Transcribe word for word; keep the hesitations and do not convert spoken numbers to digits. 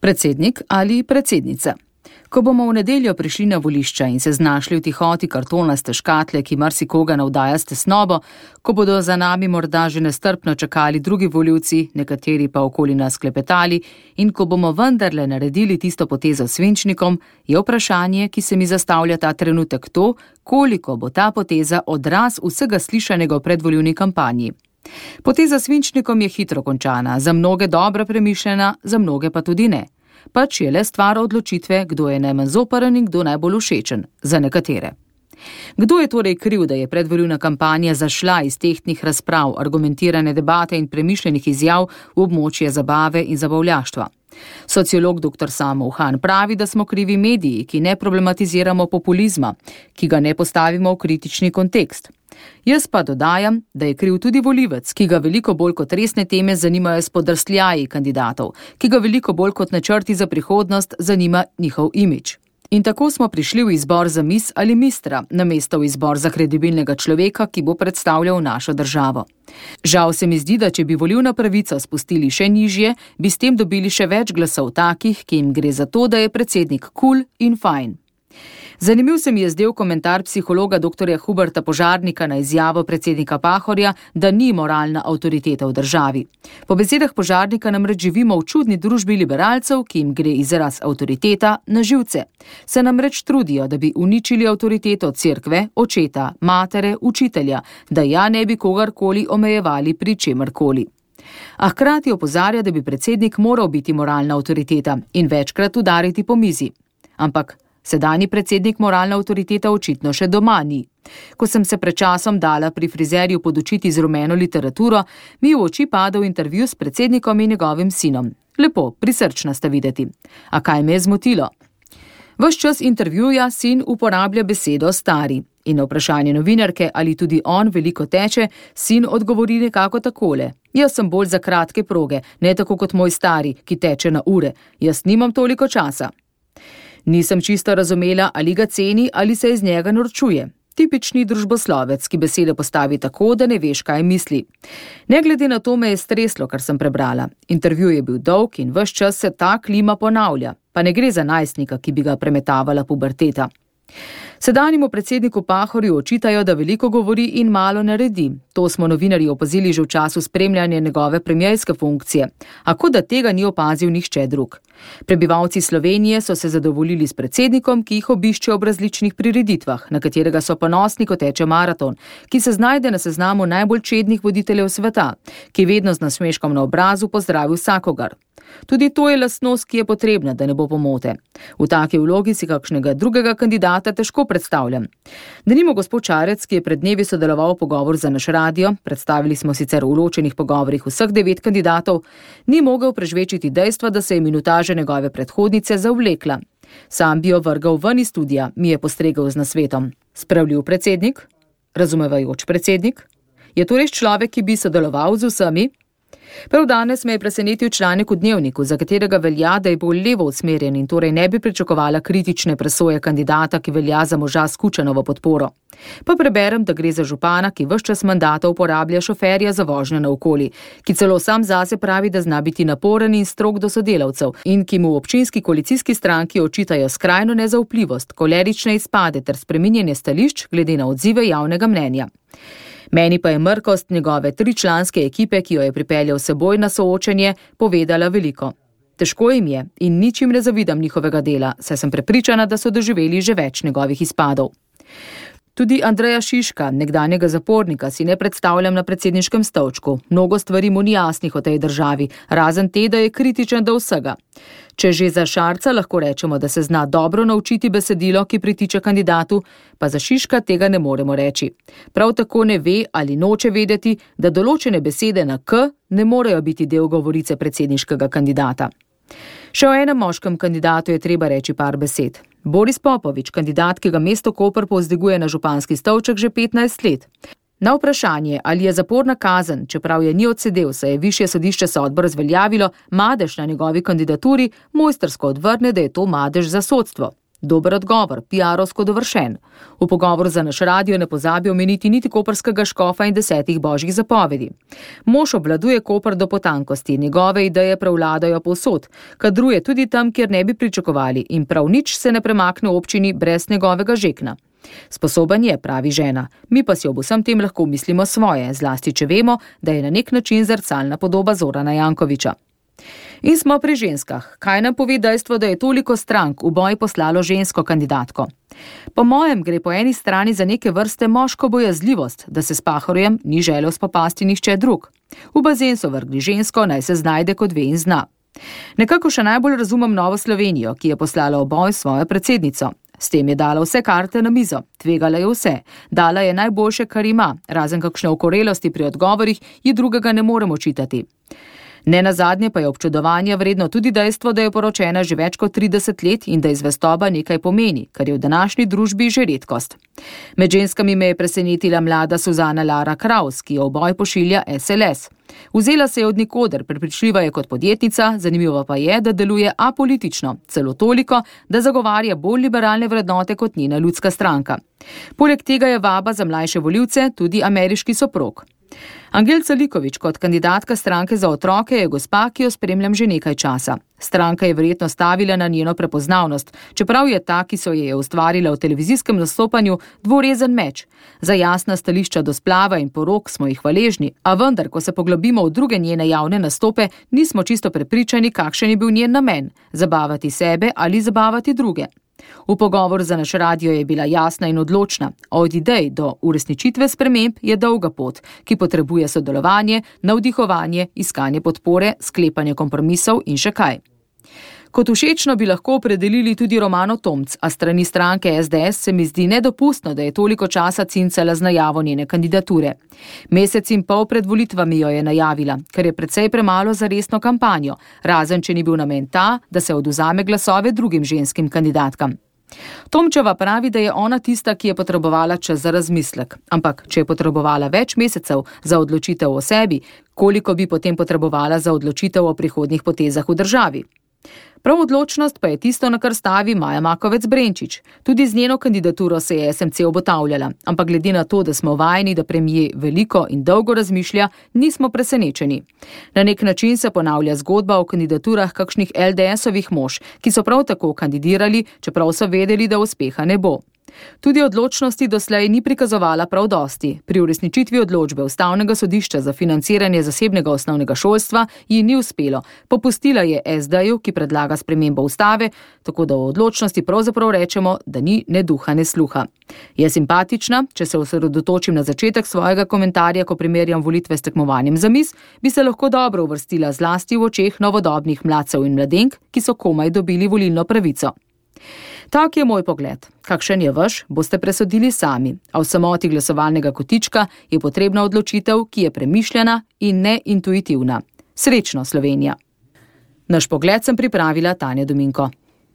Predsednik ali predsednica. Ko bomo v nedeljo prišli na volišča in se znašli v tihoti kartonaste škatle, ki marsikoga navdaja s tesnobo, ko bodo za nami morda že nestrpno čakali drugi volivci, nekateri pa okoli nas klepetali, in ko bomo vendarle naredili tisto potezo s svinčnikom, je vprašanje, ki se mi zastavlja ta trenutek to, koliko bo ta poteza odraz vsega slišanega v predvolilni kampanji. Poteza s svinčnikom je hitro končana, za mnoge dobro premišljena, za mnoge pa tudi ne. Pač je le stvar odločitve, kdo je najmanj zoprn in kdo najbolj všečen, za nekatere. Kdo je torej kriv, da je predvolilna kampanja zašla iz tehtnih razprav, argumentirane debate in premišljenih izjav v območje zabave in zabavljaštva? Sociolog doktor Samo Uhan pravi, da smo krivi mediji, ki ne problematiziramo populizma, ki ga ne postavimo v kritični kontekst. Jaz pa dodajam, da je kriv tudi volivec, ki ga veliko bolj kot resne teme zanimajo spodrsljaji kandidatov, ki ga veliko bolj kot načrti za prihodnost zanima njihov imidž. In tako smo prišli v izbor za mis ali mistra, namesto v izbor za kredibilnega človeka, ki bo predstavljal našo državo. Žal se mi zdi, da če bi volilna pravica spustili še nižje, bi s tem dobili še več glasov takih, ki jim gre za to, da je predsednik kul in fajn. Zanimiv se mi je zdel komentar psihologa doktorja Huberta Požarnika na izjavo predsednika Pahorja, da ni moralna avtoriteta v državi. Po besedah Požarnika namreč živimo v čudni družbi liberalcev, ki jim gre izraz avtoriteta na živce. Se namreč trudijo, da bi uničili avtoriteto cerkve, očeta, matere, učitelja, da ja ne bi kogarkoli omejevali pri čemarkoli. A hkrati opozarja, da bi predsednik moral biti moralna avtoriteta in večkrat udariti po mizi. Ampak sedanji predsednik moralna avtoriteta očitno še doma ni. Ko sem se pred časom dala pri frizerju podučiti z rumeno literaturo, mi v oči padel intervju s predsednikom in njegovim sinom. Lepo, prisrčna sta videti. A kaj me je zmotilo? Ves čas intervjuja sin uporablja besedo stari. In na vprašanje novinarke, ali tudi on veliko teče, sin odgovori nekako takole. Jaz sem bolj za kratke proge, ne tako kot moj stari, ki teče na ure. Jaz nimam toliko časa. Nisem čisto razumela, ali ga ceni ali se iz njega norčuje. Tipični družboslovec, ki besede postavi tako, da ne veš, kaj misli. Ne glede na to me je streslo, kar sem prebrala. Intervju je bil dolg in ves čas se ta klima ponavlja, pa ne gre za najstnika, ki bi ga premetavala puberteta. Sedanjemu predsedniku Pahorju očitajo, da veliko govori in malo naredi. To smo novinarji opazili že v času spremljanja njegove premierske funkcije, a kot da tega ni opazil nihče drug. Prebivalci Slovenije so se zadovoljili s predsednikom, ki jih obišče ob različnih prireditvah, na katerega so ponosni, ko teče maraton, ki se znajde na seznamu najbolj čednih voditeljev sveta, ki vedno z nasmeškom na obrazu pozdravi vsakogar. Tudi to je lastnost, ki je potrebna, da ne bo pomote. V taki vlogi si kakšnega drugega kandidata težko predstavljam. Denimo gospod Šarec, ki je pred dnevi sodeloval v pogovor za naš radio, predstavili smo sicer v ločenih pogovorih vseh devet kandidatov, ni mogel prežvečiti dejstva, da se je minutaža njegove predhodnice zavlekla. Sam bi jo vrgal ven iz studia, mi je postregel z nasvetom. Spravljiv predsednik? Razumevajoč predsednik? Je to res človek, ki bi sodeloval z vsemi? Prav danes me je presenetil članek v Dnevniku, za katerega velja, da je bolj levo usmerjen in torej ne bi pričakovala kritične presoje kandidata, ki velja za moža s Kučanovo podporo. Pa preberem, da gre za župana, ki ves čas mandata uporablja šoferja za vožnjo naokoli, ki celo sam zase pravi, da zna biti naporen in strog do sodelavcev in ki mu v občinski koalicijski stranki očitajo skrajno nezaupljivost, kolerične izpade ter spreminjanje stališč glede na odzive javnega mnenja. Meni pa je mrkost njegove tričlanske ekipe, ki jo je pripeljal seboj na soočenje, povedala veliko. Težko jim je in ničim ne zavidam njihovega dela, saj sem prepričana, da so doživeli že več njegovih izpadov. Tudi Andreja Šiška, nekdanjega zapornika, si ne predstavljam na predsedniškem stolčku. Mnogo stvari mu ni jasnih o tej državi, razen te, da je kritičen do vsega. Če že za Šarca lahko rečemo, da se zna dobro naučiti besedilo, ki pritiče kandidatu, pa za Šiška tega ne moremo reči. Prav tako ne ve ali noče vedeti, da določene besede na K ne morejo biti del govorice predsedniškega kandidata. Še o enem moškem kandidatu je treba reči par besed. Boris Popovič, kandidat, ki ga mesto Koper povzdiguje na županski stolček že petnajst let. Na vprašanje, ali je zaporna kazen, čeprav je ni odsedel, saj je višje sodišče sodbo razveljavilo, madež na njegovi kandidaturi, mojstrsko odvrne, da je to madež za sodstvo. Dober odgovor, pi arovsko dovršen. V pogovoru za naš radio ne pozabi omeniti niti koprskega škofa in desetih božjih zapovedi. Mož obvladuje Koper do potankosti, njegove ideje prevladajo povsod, kadruje tudi tam, kjer ne bi pričakovali in prav nič se ne premakne v občini brez njegovega žekna. Sposoben je, pravi žena, mi pa si ob vsem tem lahko mislimo svoje, zlasti če vemo, da je na nek način zrcalna podoba Zorana Jankovića. In smo pri ženskah. Kaj nam pove dejstvo, da je toliko strank v boj poslalo žensko kandidatko? Po mojem gre po eni strani za neke vrste moško bojazljivost, da se s Pahorjem ni želel spopasti nihče drug. V bazen so vrgli žensko, naj se znajde kot ve in zna. Nekako še najbolj razumem Novo Slovenijo, ki je poslala v boj svojo predsednico. S tem je dala vse karte na mizo, tvegala je vse, dala je najboljše, kar ima, razen kakšne okorelosti pri odgovorih, ji drugega ne moremo očitati. Ne nazadnje pa je občudovanja vredno tudi dejstvo, da je poročena že več kot trideset let in da iz zvestoba nekaj pomeni, kar je v današnji družbi že redkost. Med ženskami me je presenetila mlada Suzana Lara Kraus, ki jo v boj pošilja es el es. Vzela se je od nikoder, prepričljiva je kot podjetnica, zanimivo pa je, da deluje apolitično, celo toliko, da zagovarja bolj liberalne vrednote kot njena ljudska stranka. Poleg tega je vaba za mlajše volivce tudi ameriški soprog. Angelca Likovič kot kandidatka stranke za otroke je gospa, ki jo spremljam že nekaj časa. Stranka je verjetno stavila na njeno prepoznavnost, čeprav je ta, ki so je ustvarila v televizijskem nastopanju, dvorezen meč. Za jasna stališča do splava in porok smo jih hvaležni, a vendar, ko se poglobimo v druge njene javne nastope, nismo čisto prepričani, kakšen je bil njen namen, zabavati sebe ali zabavati druge. V pogovoru za naš radio je bila jasna in odločna. Od idej do uresničitve sprememb je dolga pot, ki potrebuje sodelovanje, navdihovanje, iskanje podpore, sklepanje kompromisov in še kaj. Kot všečno bi lahko opredelili tudi Romano Tomc, a strani stranke es de es se mi zdi nedopustno, da je toliko časa cincala z najavo njene kandidature. Mesec in pol pred volitvami jo je najavila, kar je precej premalo za resno kampanjo, razen če ni bil namen ta, da se odvzame glasove drugim ženskim kandidatkam. Tomčeva pravi, da je ona tista, ki je potrebovala čas za razmislek, ampak če je potrebovala več mesecev za odločitev o sebi, koliko bi potem potrebovala za odločitev o prihodnjih potezah v državi? Prav odločnost pa je tisto, na kar stavi Maja Makovec Brenčič. Tudi z njeno kandidaturo se je es em ce obotavljala, ampak glede na to, da smo vajeni, da premier veliko in dolgo razmišlja, nismo presenečeni. Na nek način se ponavlja zgodba o kandidaturah kakšnih el de esovih mož, ki so prav tako kandidirali, čeprav so vedeli, da uspeha ne bo. Tudi odločnosti doslej ni prikazovala prav dosti. Pri uresničitvi odločbe Ustavnega sodišča za financiranje zasebnega osnovnega šolstva ji ni uspelo. Popustila je es de-ju, ki predlaga spremembo ustave, tako da v odločnosti pravzaprav rečemo, da ni ne duha, ne sluha. Je simpatična, če se osredotočim na začetek svojega komentarja, ko primerjam volitve s tekmovanjem za mis, bi se lahko dobro uvrstila zlasti v očeh novodobnih mladcev in mladenk, ki so komaj dobili volilno pravico. Tak je moj pogled. Kakšen je vaš, boste presodili sami, a v samoti glasovalnega kotička je potrebna odločitev, ki je premišljena in ne intuitivna. Srečno, Slovenija! Naš pogled sem pripravila Tanja Dominko.